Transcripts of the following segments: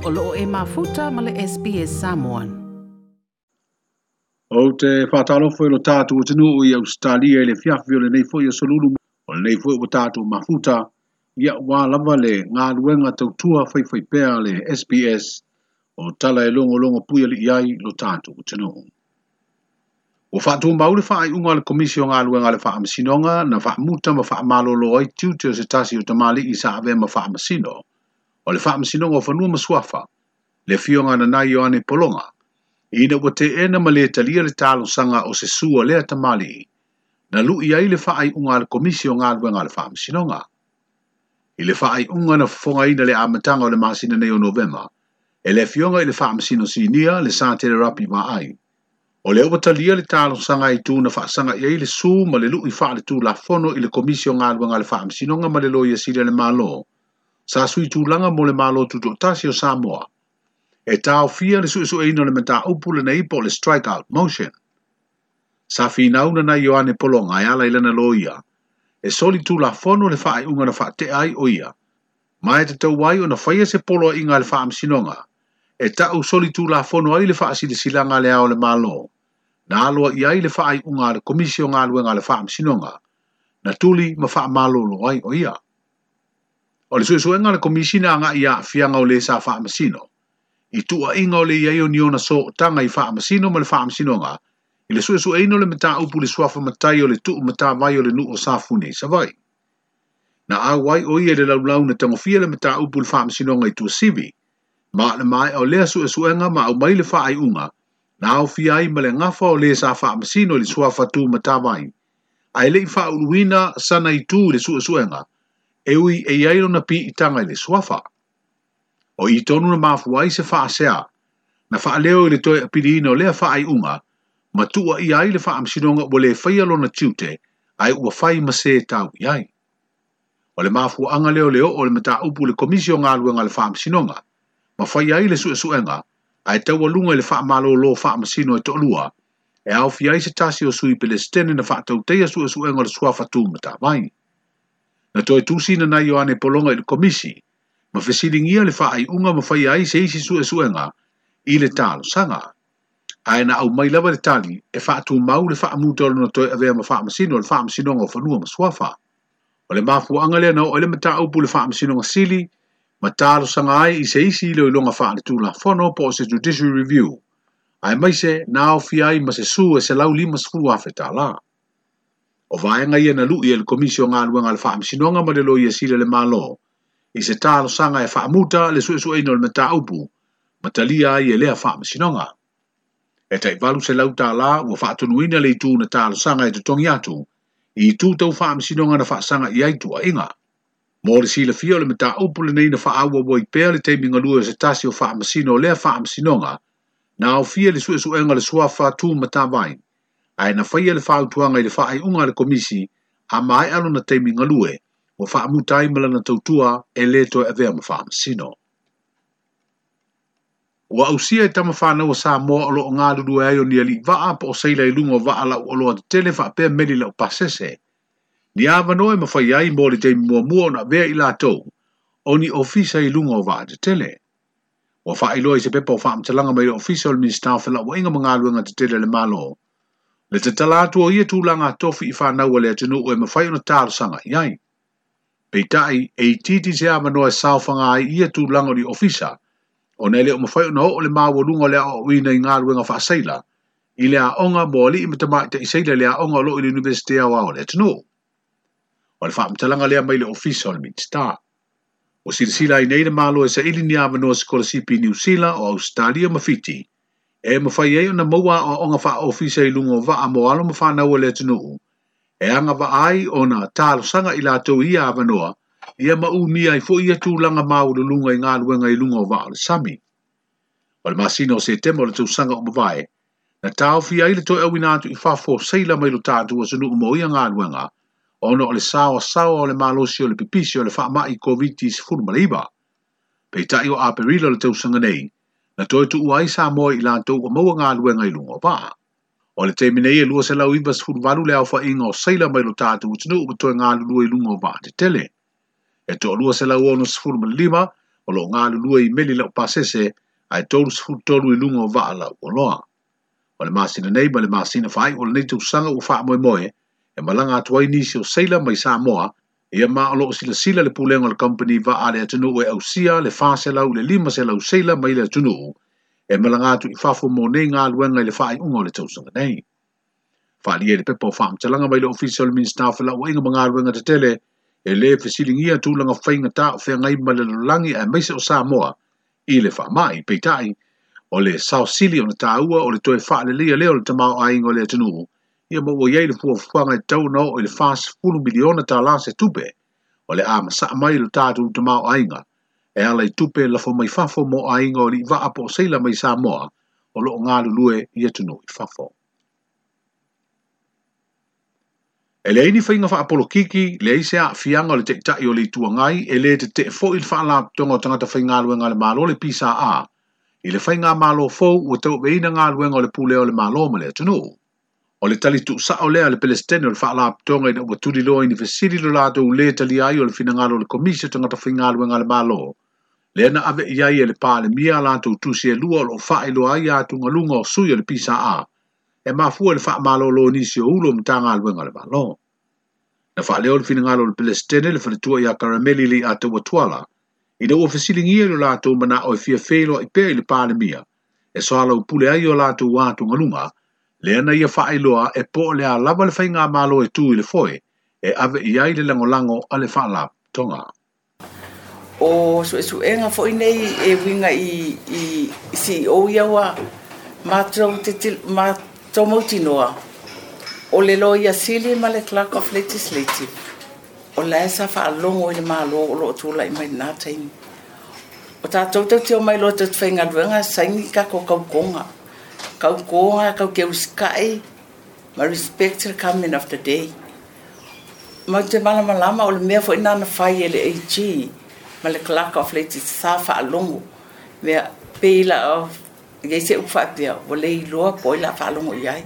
O loo e mafuta ma le SBS Samoan. Ou te faatalofa i lo tatou atunuu i Ausetalia i le afiafi o lenei foi aso Lulu, o lenei foi ua tatou mafuta, ia aua lava le galuega tautua faifaipea a le SBS o tala e logologo puialii ai lo tatou atunuu. Ua faatumau le faaiuga a le Komisi o Galuega a le Faamasinoga na faamuta ma faamalolo ai tiute o se tasi o tamalii sa avea ma faamasino o le Faamasinoga o Fanua ma Suafa, le Afioga Nanai Ioane Pologa, ina ua teena ma le talia le talosaga o se sua lea tamalii, na lui ai le faaiuga a le Komisi o Galuega a le Faamasinoga. I le faaiuga na fofogaina le amataga o le masina nei o Novema, e le Afioga i le Faamasino Sinia le Satele Rapi Vaai, o lea ua talia le talosaga i tu na faasaga i ai le su ma le lui faaletulafono i le Komisi o Galuega a le Faamasinoga ma le Loia Sili a le Malo, sa sui tulaga mo le Malo Tutoatasi o Samoa, e taofia le suesueina o le mataupu lenei po o le strike-out motion. Sa finau Nanai Ioane Pologa e ala i lana loia, e soli tulafono le faaiuga na faatea ai o ia, ma e tatau ai ona faia se poloaiga a le Faamasinoga, e tau soli tulafono ai le faasilasilaga a le Ao o le Malo, na aloa i ai le faaiuga a le Komisi o Galuega a le Faamasinoga, na tuli ma faamalolo ai o ia. O le suesuega a le Komisi na agai i aafiaga o le sa faamasino, i tuuaiga o le i ai o ni ona sootaga i faamasino ma le Faamasinoga, i le suesueina o le mataupu i le suafa matai o le tuumatavai o le nuu o Safune i Savaii. Na auai o ia i le laulau na tagofia le mataupu i le Faamasinoga i Tuasivi, ma o le maea o lea suesuega ma aumai le faaiuga, na aofia ai ma le gafa o le sa faamasino i le suafa tumatavai, ae le i faauluina sana itu i le suesuega, e ui e i ai lona piitaga i le suafa. O i tonu na mafua ai se faasea, na faaleo i le toe apiliina o lea faaiuga, ma tuuaia ai le Faamasinoga ua le faia lona tiute, ae ua fai ma se tau i ai. O le mafuaaga lea o le oo o le mataupu i le Komisi o Galuega a le Faamasinoga, ma faia ai le suesuega, ae taualuga i le faamalolo faamasino e toalua, e aofia ai se tasi o sui Pelesitene na faatautaia suesuega o le suafa tumatavai. Na toe tusi Nanai Ioane Pologa i le Komisi, ma fesiligia le faaiuga ma faia ai se isi suesuega i le talosaga. Ae na aumai lava le tali e faatumau le faamuta o lona toe avea ma faamasino o le Faamasinoga o Fanua ma Suafa. O le mafuaaga lea na oo ai le mataupu i le Faamasinoga Sili ma talosaga ai i se isi iloiloga faaletulafono po o se judiciary review, aemaise na aofia ai ma se su e $150,000. O vaega ia na lui e le Komisi o Galuega a le Faamasinoga ma le Loia Sili a le Malo i se talosaga e faamuta le suesueina o le mataupu ma talia ai e lea Faamasinoga. E tai $800 ua faatonuina le itu na talosaga e totogi atu i itu tau Faamasinoga na faasaga i ai tuuaiga. Mo le silafia o le mataupu lenei na faaauau ai pea le taimi galue o se tasi o faamasino o lea Faamasinoga na aofia le suesuega o le suafa tumatavai, ae na faia le fautuaga i le faaiuga a le Komisi a maea lona taimi galue ua faamuta ai ma lana tautua e le toe avea ma faamasino. Ua ausia e tama fanau a Samoa o loo galulue ai o ni alii vaa po o seila i luga o vaa lau oloa tetele faapea meli lau pasese. Ni avanoa e mafai ai mo le taimi muamua ona avea i latou o ni ofisa i luga o vaa tetele. Ua faailoa i se pepa o faamatalaga mai le Ofisa o le Minisita o Felauaiga ma Galuega Tetele a le Malo, le tatala atu o ia tulaga tofi i fanau a le atunuu e mafai ona talosaga i ai. Peitai, e itiiti se avanoa e saofaga ai ia tulaga o ni ofisa, ona e le o mafai ona oo le maualuga o le aoaoina i galuega faaseila i le aoga mo alii ma tamaitai seila i le aoga o loo i le Iunivesite Aoao o le atunuu. O le faamatalaga lea mai le Ofisa o le Minisita. Ua silasila ai nei le Malo e saili ni avanoa sikolasipi i Niu Sila, o Ausetalia ma Fiti, e mafai ai ona maua aoaoga faaofisa i luga o vaa mo alo ma fanau a le atunuu, e agavaa ai ona talosaga i latou i ia avanoa, ia ma umia ai foi ia tulaga maualuluga i galuega i luga o vaa o le sami. O le masina o Setema o le tausaga ua mavae, na taofia ai le toe auina atu i fafo o seila mai lo tatou atunuu mo ia galuega, ona o le saoasaoa o le malosi o le pipisi o le faamai Koviti-19. Peitai o Aperila o le tausaga nei, na toe tuua ai Samoa i latou ua maua galuega i luga o vaa. O le taimi nei e 298 le aofaiga o seila mai lo tatou atunuu ua toe galulue i luga o vaa tetele. E toa 265 o lo o galulue i meli laupasese ae 33 i luga o vaa lauoloa. O le masina nei ma le masina faaiu o lenei tausaga ua faamoemoe e malaga atu ai nisi o seila mai Samoa, ia ma o lo o silasila le pulega o le kamupani vaa a le atunuu e ausia le 400 i le 500 seila mai le atunuu e malaga atu i fafo mo nei galuega i le faaiuga o le tausaga nei. Faaalia i le pepa o faamatalaga mai le Ofisa o le Minisita o Felauaiga ma Galuega Tetele, e lē fesiligia tulaga faigata o feagai ma le lalolagi aemaise o Samoa i le faamai. Peitai, o le sao sili ona taua o le toe faaleleia lea o le tamaoaiga o le atunuu, ia ma ua i ai le fuafuaga e tatau ona oo i le $40 miliona tala se tupe o le a masaa mai i lo tatou tamaoaiga e ala i tupe lafo mai fafo mo aiga o alii vaa po o seila mai Samoa o lo o galulue i atunuu i fafo. E leai ni faiga faapolokiki, leai se aafiaga o le Taitai o le Itu Agai, e lē tetee foi le Faalapotopotoga o Tagata Faigaluega a le Malo le PSA i le faigamalo fou ua tauaveina galuega o le pulea o le Malo ma le atunuu. O le tali tuusao lea a le Pelesitene o le Faalapotopotoga ina ua tuliloa i ni fesili lo latou lē talia ai o le finagalo o le Komisi o Tagata Faigaluega a le Malo, lea na ave i ai e le Palemia a latou tusi e lua o lo o faailoa ai atugaluga o sui o le PSA e mafua i le faamalolo o nisi o Ulu o Matagaluega a le Malo. Na faaleo le finagalo o le Pelesitene le faletua ia Karameli Leiataua Tuala ina ua fesiligia i lo latou manao e fia feiloai pea i le Palemia e soalaupule ai o latou atugaluga, lea na ia faailoa e po o le a lava le faigamalo e tu i le foe e ave i ai le lagolago a le Faalapotopotoga. O suesuega foi nei e uiga i CEO ia ua matou matou mautinoa, o le Loia Sili ma le Clerk of Legislative, o la e sa faalogo i le Malo o lo o tulai mai lena taimi. O tatou tatou te omai loa tatou te faigaluega saini tatou tautoga. Tautoga tatou te usitai ma respect the coming of the day. Matou te malamalama o le mea foi lena na fai e le AG ma le Clerk of Legislative sa faalogo. Mea pei la i ai se upu faapea ua le iloa po o ai o le a faalogo i ai.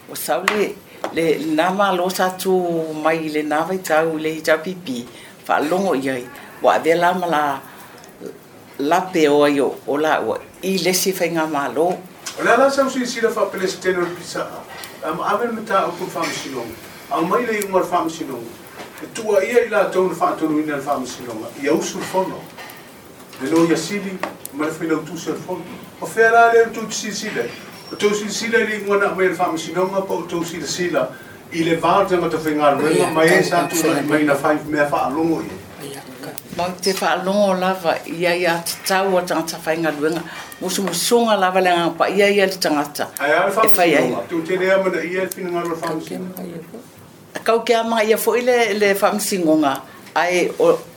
Ua sau le lena Malo sa tu mai i lena vaitau i le HRPP faalogo i ai ua avea la ma la lape o ai o laua i le isi faigamalo. O le a la sau silasila faa-Pelesitene o le PSA, ave le mataupu i le Faamasinoga, aumai le iuga o le Faamasinoga, e tuuaia i latou na faatonuina e le Faamasinoga ia usu le Fono, le Loia Sili ma le Failautusi o le Fono. O fea la lea tou te silasila ai? O tou silasila i le iuga na aumai e le Faamasinoga po o tou silasila i le va o le tagata faigaluega ma e sa tulai mai na fai mea faalogo i ai? Matou te faalogo lava i aiatatau a tagata faigaluega, musumusuga lava le Agaga Paia ia i le tagata Ae a le e fai ai. Faamasinoga? Tou te le amanaia le finagalo o le Faamasinoga? Kau ke amanaia foi le Faamasinoga, ae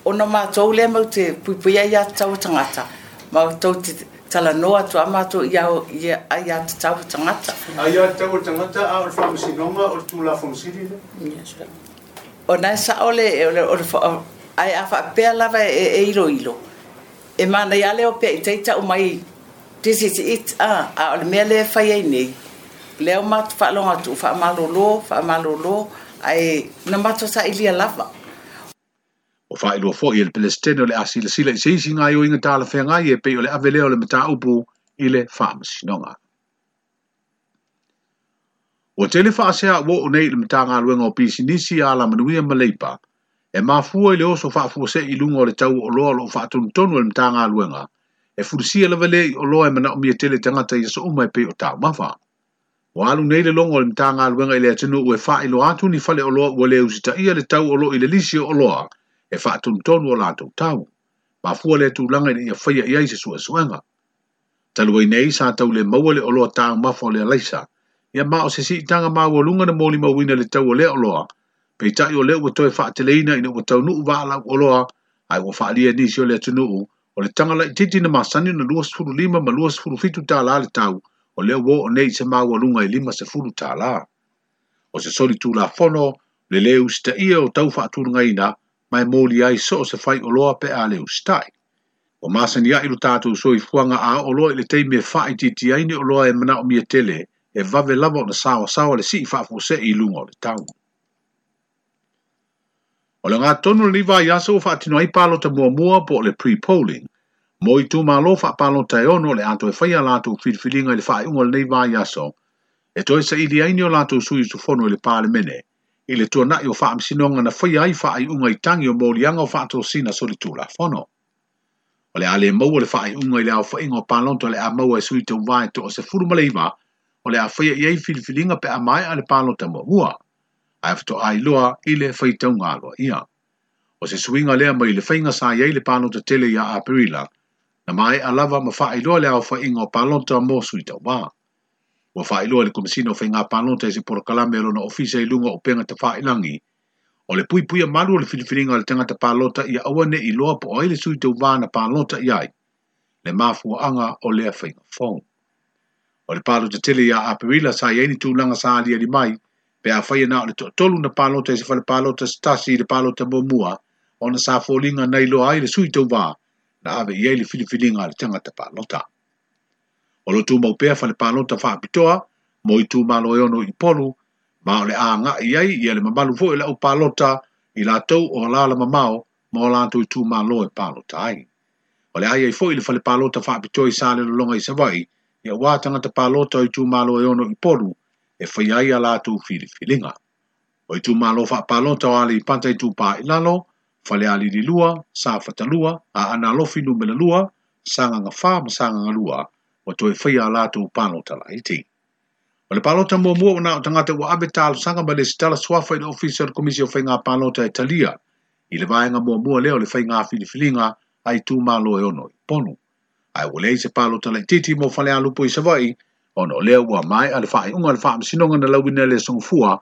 ona matou lea matou te puipuia aiatatau a tagata, matou te talanoa atu lava matou i aiatatau a tagata. Aiatatau a tagata, a o le Faamasinoga o le Tulafono Sili lea? O lena e sao le, ae a faapea lava e iloilo, e manaia lava le o pea i tai tau mai this is it, a o le mea lea e fai ai nei, lea ua matou faalogo atu ua faamalolo, faamalolo, ae na matou sailia lava. Ua faailoa foi e le Pelesitene o le a silasila i se isi gaoioiga talafeagai e pei o le ave lea o le mataupu i le Faamasinoga. Ua tele faasea ua oo nei i le Matagaluega o Pisinisi, Alamanuia ma Leipa e mafua i le oso faafuasei i luga o le tau o oloa o lo o faatonutonu e le Matagaluega e fulisia lava lea i oloa e manaomia tele e tagata i aso uma e pei o taumafa. Ua alu nei le logo o le Matagaluega i le atunuu e faailoa atu ni faleoloa ua le usitaia le tau o lo o i le lisi o oloa e faatonutonu o latou tau. Mafua lea tulaga ina ia faia i ai se suesuega. Talu ai nei sa tau le maua le oloa taumafa o le alaisa, ia ma o se siitaga maualuga na molimauina le tau o lea oloa, peitai o lea ua toe faateleina ina ua taunuu vaa lau oloa, ae ua faaalia e nisi o le atunuu o le taga laitiiti na masani ona 25 ma 27 tala le tau, o lea ua oo nei i se maualuga e 50 tala. O se soli tulafono le lē usitaia o tau faatulagaina ma e molia ai so o se faioloa pe a le usitai. Ua masani ai lo tatou soifuaga a oo loa i le taimi e faaitiitia ai ni oloa e manaomia tele, e vave lava ona saoasaoa le sii faafuasei i luga o le tau. O le ogatotonu o lenei vaiaso ua faatino ai palota muamua po o le pre-polling Mo itumalo faapalota e 6 o le a toe faia latou filifiliga i le faaiuga o lenei vaiaso, e toe saili ai ni o latou sui usufono i le Palemene, i le tuanai o faamasinoga na faia ai faaiuga i tagi o moliaga o faatosina solitulafono. O le a le maua le faaiuga i le aofaiga o palota o le a maua e sui tauvā e toa 19, o le a faia i ai filifiliga pe a maea le palota muamua, ae faatoa iloa i le faitauga aloaia. O se suiga lea mai le faiga sa i ai le palota tele ia Aperila, na maea lava ma faailoa le aofaiga o palota mo sui tauvā. Ua faailoa le Komesina o Faiga Palota i se polokalame o lona ofisa i luga o upega tafailagi. O le puipuia malu o le filifiliga a le tagata palota ia aua ne i iloa po o ai le sui tauvā na palota i ai, le mafuaaga o lea faiga fou. O le palota tele ia Aperila sa i ai ni tulaga sa aliali mai, pe a faia na o le toatolu na palota i se fale palota se tasi i le palota muamua, ona sa foliga na iloa ai le sui tauvā na ave i ai le filifiliga a le tagata palota. O lo tumau pea fale palota faapitoa mo itumalo e 6 i Upolu, ma o le a agai ai ia le mamalu foi o le au palota i latou o alala mamao ma o latou itumalo e palota ai. O le a i ai foi le fale palota faapitoa i Salelologa i Savaii, ia ua tagata palota o itumalo e 6 i Upolu e faia ai a latou filifiliga. O itumalo faapalota o Aleipata Itupa i Lalo, Falealili 2, Safata 2, Aana Alofi numera 2, Sagaga 4 ma Sagaga 2, ua toe faia a latou palota laiti. O le palota muamua ua na o tagata ua ave talosaga ma lesitala suafa i le ofisa o le Komisi o Faiga Palota e talia i le vaega muamua lea o le faiga filifiliga a itumalo e 6 i Upolu. Ae ua leai se palota laitiiti mo Falealupo i Savaii, ona o lea ua maea le faaiuga o le faamasinoga na lauina e le Sogafua,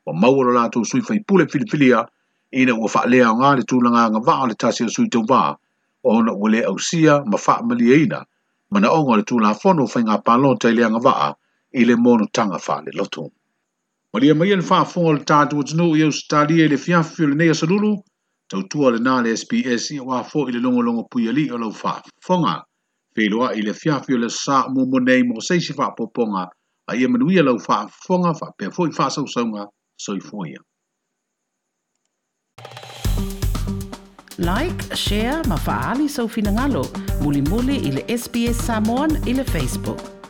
ua maua lo latou sui faipule filifilia ina ua faaleaoga le tulaga agavaa o le tasi o sui tauvā, ona ua le ausia ma faamalieina manaoga o le Tulafono o Faiga Palota i le agavaa i le monotaga faalelotu. Malia mai le faafofoga o le tatou atunuu i Ausetalia i le fiafi o lenei aso lulu, tautua lena le SBS ia ua foi le logologo puialii o lau faafofoga. Feiloai i le fiafi o le aso Sa muamua nei mo se isi faaopoopoga, a ia manuia lau faafofoga faapea foi faasausauga. Soifua ia. Like, share ma faaali sou finagalo mulimuli i le SBS Samoan i le Facebook.